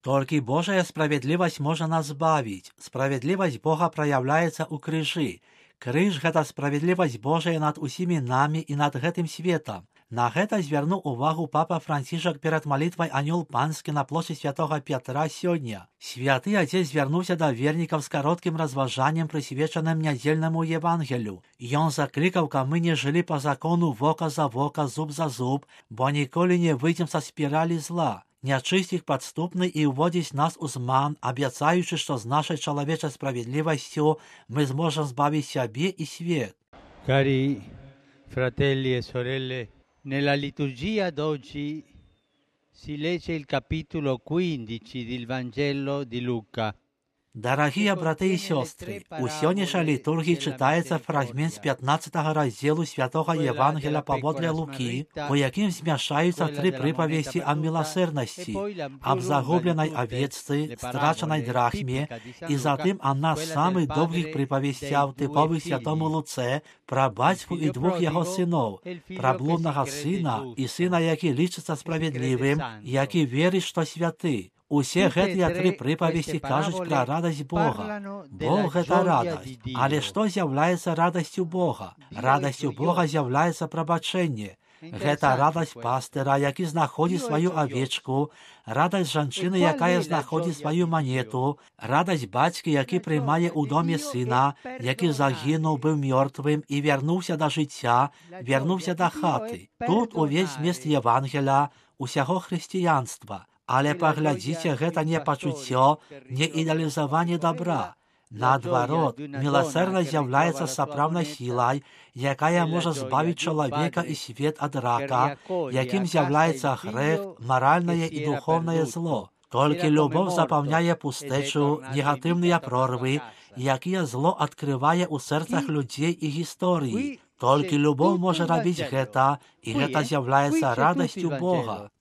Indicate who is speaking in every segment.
Speaker 1: Только Божая справедливость может нас збавить. Справедливость Бога проявляется у крыжи. Крыж – это справедливость Божия над усими нами и над гэтым светом. На гэта звярнуў увагу папа Францішак перад малітвай «Анёл панскі» на плошчы святога Пятра сёння. Святы Отец звярнуўся да вернікаў з кароткім разважаннем, прысвечаным нядзельнаму Евангелю. Ён заклікаў, каб мы не жылі па закону вока за вока, зуб за зуб, бо ніколі не выйдзем са спіралі зла. Нячысцік падступны і ўводзіць нас у зман, абяцаючы, што з нашай чалавечай справедливасцю мы зможам збавіць сябе і свет.
Speaker 2: Cari fratelli e sorelle, nella liturgia d'oggi si legge il capitolo 15 del Vangelo di Luca.
Speaker 1: Дорогие браты и сестры, у сённяшняй літургіі читаецца фрагмент з 15 раздзелу святого Евангелия паводле Лукі, у якім змяшаюцца тры прыпавесці аб міласэрнасці, аб загубленай авечцы, страчанай драхме, і затым адна з самых доўгіх прыпавесцяў, тыповых святому Луцэ, пра бацьку і двух яго сыноў, пра блуднага сына і сына, які лічыцца справядлівым, які верыць, што святы. Усе гэтыя тры прыпавесці кажуць пра радасць Бога. Бог – гэта радасць. Але што з'яўляецца радасцю Бога? Радасцю Бога з'яўляецца прабачэнне. Гэта радасць пастыра, які знаходзіць сваю авечку, радасць жанчыны, якая знаходзіць сваю манету, радасць бацькі, які прымае ў доме сына, які загінуў, быў мёртвым і вярнуўся да жыцця, вярнуўся да хаты. Тут увесь змест Евангеля, усяго хрысціянства. Але паглядзіце, гэта не пачуццё, не ідэалізаванне добра. Наадварот, міласэрнасць з'яўляецца сапраўднай сілай, якая можа збавіць чалавека і свет ад рака, якім з'яўляецца грэх, маральнае і духовнае зло. Толькі любоў запаўняе пустэчу, негатыўныя прорвы, якія зло адкрывае ў сэрцах людзей і гісторыі. Толькі любоў можа рабіць гэта, і гэта з'яўляецца радасцю Бога.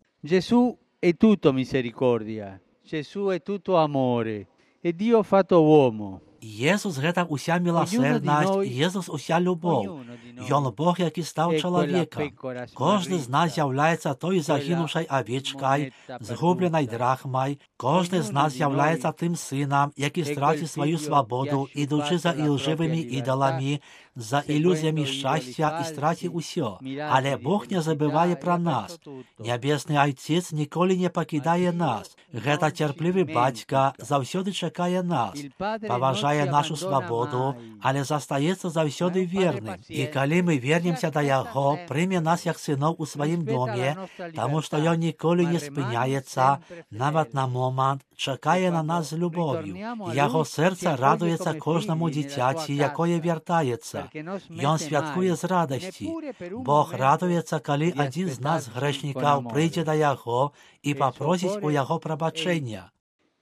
Speaker 2: È tutto misericordia, Gesù è tutto amore, e Dio fatto uomo.
Speaker 1: Jesús гэта ўся міласэрнасць, Jesús уся любоў. Ён Бог, які стаў чалавекам. Кожны з нас з'яўляецца той загінуўшай авечкай, згубленай драхмай. Кожны з нас з'яўляецца тым сынам, які страціў сваю свабоду, ідучы за ілжывымі ідоламі, за ілюзіямі шчасця і страціў усё. Але Бог не забывае пра нас. Нябесны Айцец ніколі не пакідае нас. Гэта цярплівы бацька заўсёды чакае нас, паважае нашу свабоду, але застаецца заўсёды верным. І калі мы вернемся да Яго, прыме нас як сыноў у сваім доме, таму што Ён ніколі не спыняецца, нават на момант, чакае на нас з любов'ю. Яго сэрца радуецца кожнаму дзіцяці, якое вяртаецца. Ён святкуе з радасці. Бог радуецца, калі адзін з нас, грэшнікаў, прыйдзе да Яго і папросіць у Яго прабачэння.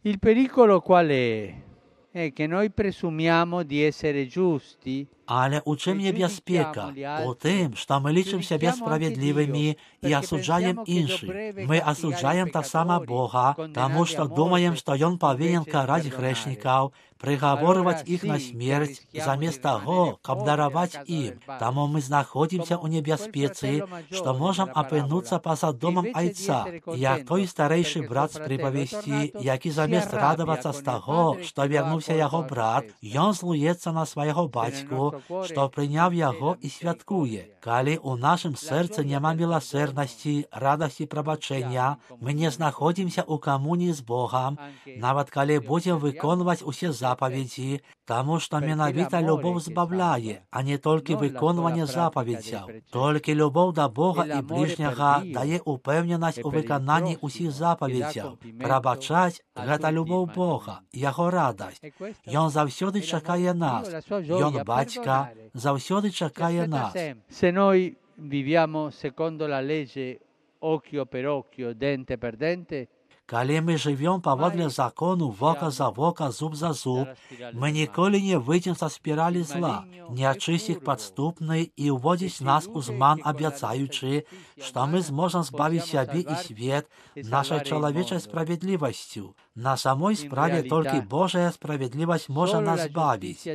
Speaker 2: Il pericolo qual è che noi presumiamo di essere giusti.
Speaker 1: Але у чым небяспека? У тым, што мы лічым сябе справядлівымі і асуджаем іншых. Мы асуджаем таксама Бога, таму што думаем, што Ён павінен караць грэшнікаў, прыгаворваць іх на смерць, замест таго, каб дараваць ім. Таму мы знаходзімся ў небяспецы, што можам апынуцца па-за домам Айца, як той старэйшы брат з прыпавесці, які замест радавацца з таго, што вярнуўся яго брат, ён злуецца на свайго бацьку, што прыняў яго і святкуе. Калі ў нашым сэрцы няма міласэрнасці, радасці прабачэння, мы не знаходзімся ў камуніі з Богам, нават калі будзем выконваць усе запаведзі, таму што менавіта любоў збавляе, а не толькі выконванне запаведзяў. Толькі любоў да Бога і бліжняга дае упэўненасць у выкананні ўсіх запаведзяў. Прабачаць – гэта любоў Бога, яго радасць. Ён заўсёды чакае нас. Ён бацька заўсёды чакае нас.
Speaker 2: Se noi viviamo secondo la legge occhio per occhio, dente per dente,
Speaker 1: калі мы жывём паводле закону вока за вока, зуб за зуб, мы ніколі не выйдзем са спіралі зла. Нячысцік падступны і ўводзіць нас у зман, абяцаючы, што мы зможам збавіць сябе і свет нашай чалавечай справядлівасцю. На самой справе толькі Божая справядлівасць можа нас збавіць,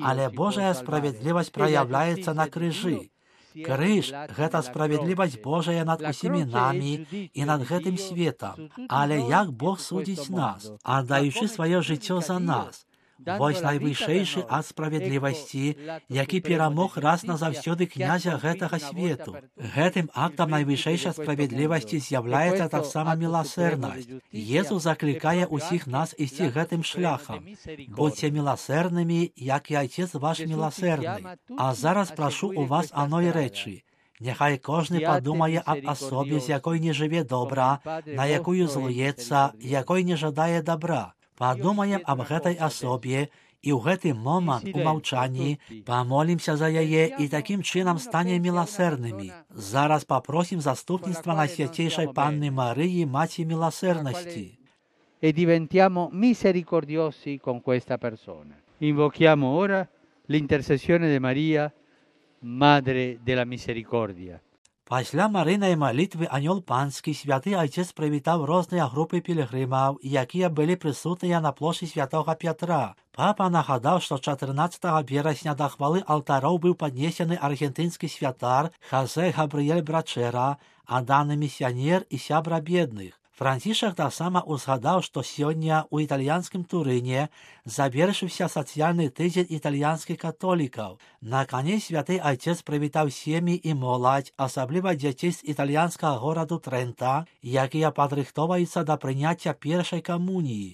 Speaker 1: але Божая справядлівасць праяўляецца на крыжы. Крыж – гэта справядлівасць Божая над усімі намі і над гэтым светам. Але як Бог судзіць нас, аддаючы сваё жыццё за нас? Вось найвышэйшы ад справядлівасці, які перамог раз назаўсёды князя гэтага свету. Гэтым актам найвышэйшай справядлівасці з'яўляецца таксама міласэрнасць. Езус заклікае ўсіх нас ісці гэтым шляхам. Будзьце міласэрнымі, як і Айцец ваш міласэрны. А зараз прашу у вас аной рэчы. Няхай кожны падумае аб асобе, з якой не жыве добра, на якую злуецца, якой не жадае добра. Падумаем аб гэтай асобе і ў гэты момант у маўчанні памолімся за яе і такім чынам станем міласэрнымі. Зараз папросім заступніцтва Найсвяцейшай Панны Марыі, Маці міласэрнасці.
Speaker 2: E diventiamo misericordiosi con questa persona. Invochiamo ora l'intercessione di Maria, Madre della Misericordia.
Speaker 1: Пасля марыйнай малітвы анёл панскі святы Айцец прывітаў розныя групы пілігрымаў, якія былі прысутныя на плошчы святога Пятра. Папа нагадаў, што 14 верасня да хвалы алтароў быў паднесены аргентынскі святар Хозе Габрыель Брачэра, адданы місіянер і сябра бедных. Францішак таксама узгадаў, што сёння ў італьянскім Турыне завершыўся сацыяльны тыдзень італьянскіх католікаў. На канец святы Айцец прывітаў сем'і і моладзь, асабліва дзяцей з італьянскага гораду Трэнта, якія падрыхтоўваюцца да прыняцця першай камуніі.